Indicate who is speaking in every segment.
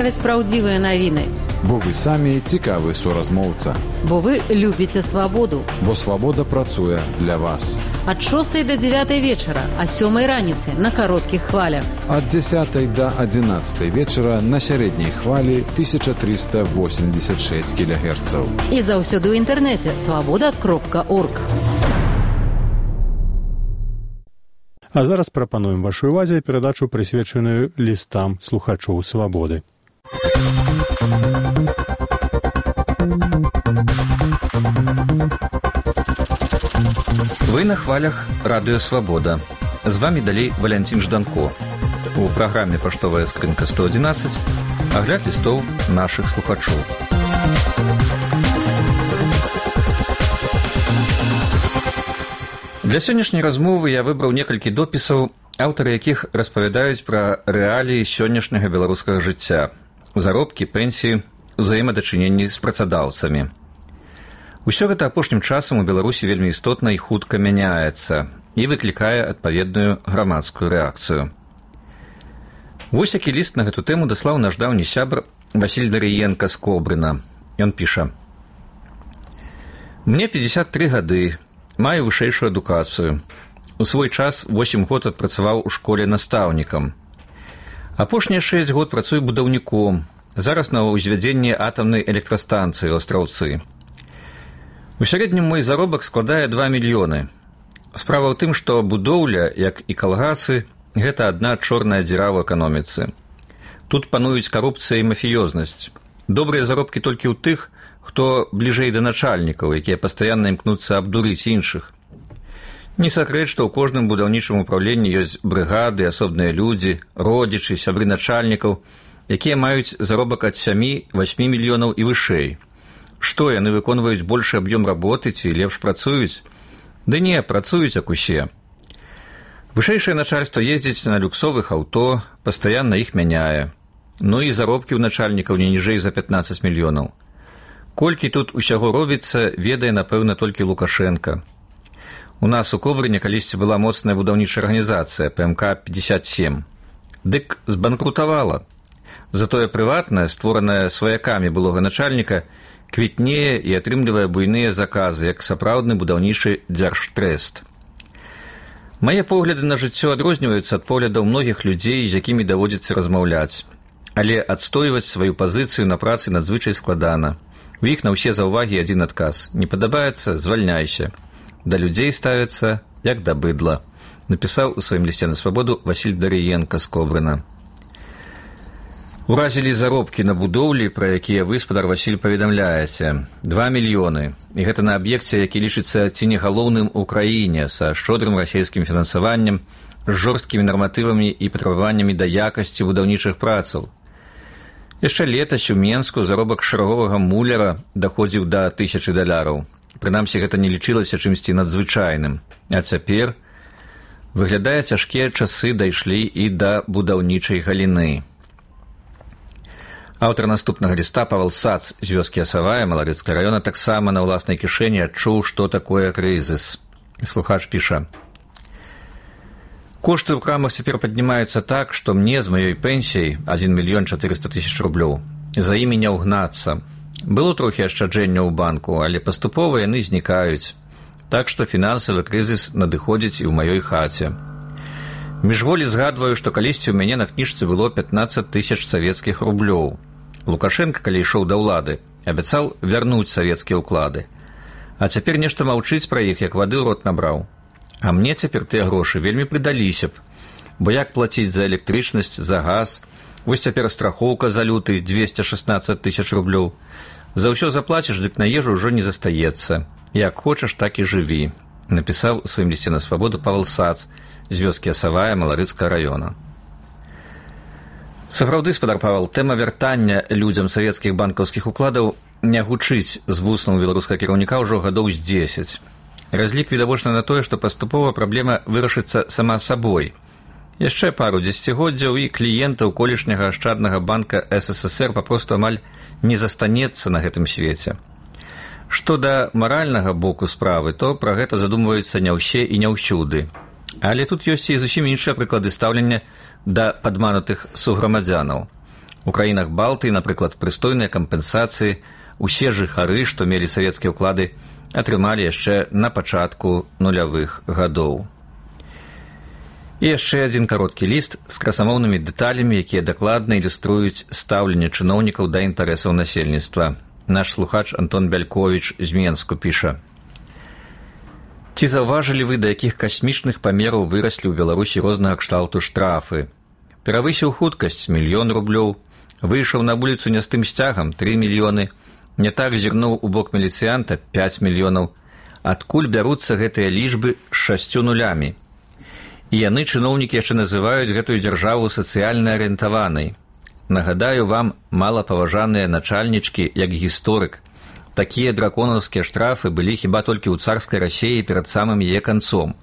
Speaker 1: Праўдзівыя навіны.
Speaker 2: Бо вы самі цікавы суразмоўца.
Speaker 1: Бо вы любіце свабоду.
Speaker 2: Бо свабода працуе для вас.
Speaker 1: Ад 6 до 9 вечара, а 7 раніцы на кароткіх хвалях.
Speaker 2: Ад 10 до 11 вечара на сярэдняй хвалі 1386 кГц.
Speaker 1: І заўсёды ў інтэрнэце свабода.орг.
Speaker 3: А зараз прапануем вашай увазе перадачу, прысвечаную лістам слухачоў свабоды.
Speaker 4: Вы на хвалях радыё «Свабода». З вами далей Валянцін Жданко. У праграме «Паштовая скрынка 111» агляд лістоў нашых слухачоў. Для сённяшняй размовы я выбраў некалькі допісаў, аўтары якіх распавядаюць пра рэаліі сённяшняга беларускага жыцця, заробкі, пенсіі, узаемадачыненні з працадаўцамі. Усё гэта апошнім часам у Беларусі вельмі істотна і хутка мяняецца і выклікае адпаведную грамадскую рэакцыю. Вось які ліст на гэту тэму даслаў наш даўні сябр Васіль Дарыенка з Кобрына. Ён піша: «Мне 53 гады, маю вышэйшую адукацыю. У свой час 8 год адпрацаваў у школе настаўнікам. Апошнія 6 год працую будаўніком, зараз на ўзвядзенні атамнай электрастанцыі ў Астраўцы. У сярэднім мой заробак складае 2 мільёны. Справа ў тым, што будоўля, як і калгасы, гэта адна чорная дзіра ў эканоміцы. Тут пануюць карупцыя і мафіёзнасць. Добрыя заробкі толькі ў тых, хто бліжэй да начальнікаў, якія пастаянна імкнуцца абдурыць іншых. Не сакрэт, што ў кожным будаўнічым упраўленні ёсць брыгады, асобныя людзі, родзічы, сябры начальнікаў, якія маюць заробак ад 7-8 мільёнаў і вышэй. Што, яны выконваюць большы аб'ём работы ці лепш працуюць? Ды не, працуюць як усе. Вышэйшае начальства ездзіць на люксовых аўто, пастаянна іх мяняе. Ну і заробкі ў начальнікаў не ніжэй за 15 мільёнаў. Колькі тут усяго робіцца, ведае, напэўна, толькі Лукашенка. У нас у Кобрыне калісьці была моцная будаўнічая арганізацыя ПМК-57. Дык збанкрутавала. Затое прыватная, створаная сваякамі былога начальніка, квітнее і атрымлівае буйныя заказы, як сапраўдны будаўнічы дзяржтрэст. Мае погляды на жыццё адрозніваюцца ад поглядаў многіх людзей, з якімі даводзіцца размаўляць. Але адстойваць сваю пазіцыю на працы надзвычай складана. У іх на ўсе заўвагі адзін адказ: не падабаецца, звальняйся. Да людзей ставяцца як да быдла, напісаў у сваім лісце на свабоду Васіль Дарыенка з Кобрына. Уразілі заробкі на будоўлі, пра якія вы, спадар Васіль, паведамляеце. 2 мільёны. І гэта на аб'екце, які лічыцца ці не галоўным у краіне, са шчодрым расійскім фінансаваннем, з жорсткімі нарматывамі і патрабаваннямі да якасці будаўнічых працаў. Яшчэ летась у Менску заробак шараговага муляра даходзіў да $1000. Прынамсі, гэта не лічылася чымсьці надзвычайным. А цяпер, выглядае, цяжкія часы дайшлі і да будаўнічай галіны. Аўтар наступнага ліста Павел Сац з вёскі Асавая Маларыцкага раёна таксама на ўласнай кішэні адчуў, што такое крызіс. Слухач піша: «Кошты ў крамах цяпер паднімаюцца так, што мне з маёй пенсіяй 1 400 000 рублёў за імі не ўгнацца. Было трохі ашчаджэння ў банку, але паступова яны знікаюць. Так што фінансавы крызіс надыходзіць і ў маёй хаце. Міжволі згадваю, што калісьці ў мяне на кніжцы было 15 000 савецкіх рублёў. Лукашенко, калі ішоў да ўлады, абяцаў вярнуць савецкія ўклады. А цяпер нешта маўчыць пра іх, як вады ў рот набраў. А мне цяпер тыя грошы вельмі прыдаліся б. Бо як плаціць за электрычнасць, за газ? Вось цяпер страхоўка за люты 216 000 рублёў. За ўсё заплаціш, дык на ежу ўжо не застаецца. Як хочаш, так і жыві», напісаў у сваім лісце на свабоду Павел Сац з вёскі Асавая Маларыцкага раёна. Сапраўды, спадар Павел, тэма вяртання людзям савецкіх банкаўскіх укладаў не гучыць з вуснаў беларускага кіраўніка ўжо гадоў з 10. Разлік відавочна на тое, што паступова праблема вырашыцца сама сабой. Яшчэ пару дзесяцігоддзяў і кліентаў колішняга ашчаднага банка СССР папросту амаль не застанецца на гэтым свеце. Што да маральнага боку справы, то пра гэта задумваюцца не ўсе і не ўсюды. Але тут ёсць і зусім іншыя прыклады стаўлення да падманутых суграмадзянаў. У краінах Балтыі, напрыклад, прыстойныя кампенсацыі усе жыхары, што мелі савецкія ўклады, атрымалі яшчэ на пачатку нулявых гадоў. І яшчэ адзін кароткі ліст з красамоўнымі дэталямі, якія дакладна ілюструюць стаўленне чыноўнікаў да інтарэсаў насельніцтва. Наш слухач Антон Бяльковіч з Менску піша: «Ці заўважылі вы, да якіх касмічных памераў выраслі ў Беларусі рознага кшталту штрафы? Перавысіў хуткасць – 1 000 000 рублёў, выйшаў на вуліцу не з тым сцягам – 3 мільёны, не так зірнуў у бок міліцыянта – 5 мільёнаў. Адкуль бяруцца гэтыя лічбы з 6 нулямі? І яны, чыноўнікі, яшчэ называюць гэтую дзяржаву сацыяльна арыентаванай. Нагадаю вам, малапаважаныя начальнічкі, як гісторык, такія драконаўскія штрафы былі хіба толькі ў царскай Расіі перад самым яе канцом.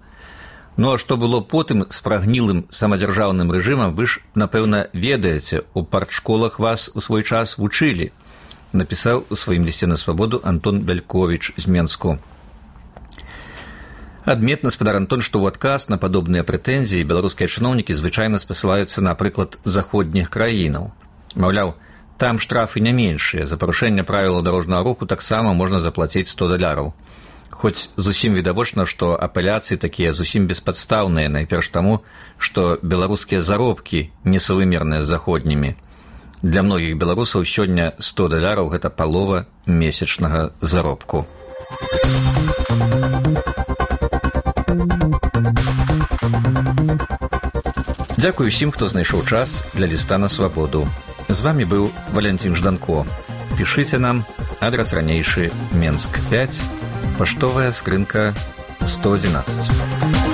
Speaker 4: Ну а што было потым з прагнілым самадзяржаўным рэжымам, вы ж, напэўна, ведаеце, у партшколах вас у свой час вучылі», напісаў у сваім лісце на свабоду Антон Бяльковіч з Менску. Адметна, спадар Антон, што ў адказ на падобныя прэтэнзіі беларускія чыноўнікі звычайна спасылаюцца на прыклад заходніх краінаў. Маўляў, там штрафы не меншыя, за парушэнне правілаў дарожнага руху таксама можна заплаціць $100. Хоць зусім відавочна, што апеляцыі такія зусім беспадстаўныя, найперш таму, што беларускія заробкі несаўымерныя з заходнімі. Для многіх беларусаў сёння $100 – гэта палова месячнага заробку. Дзякую усім, хто знайшоў час для ліста на свабоду. З вамі быў Валянцін Жданко. Пішыце нам, адрас ранейшы, Менск 5, паштовая скрынка 111.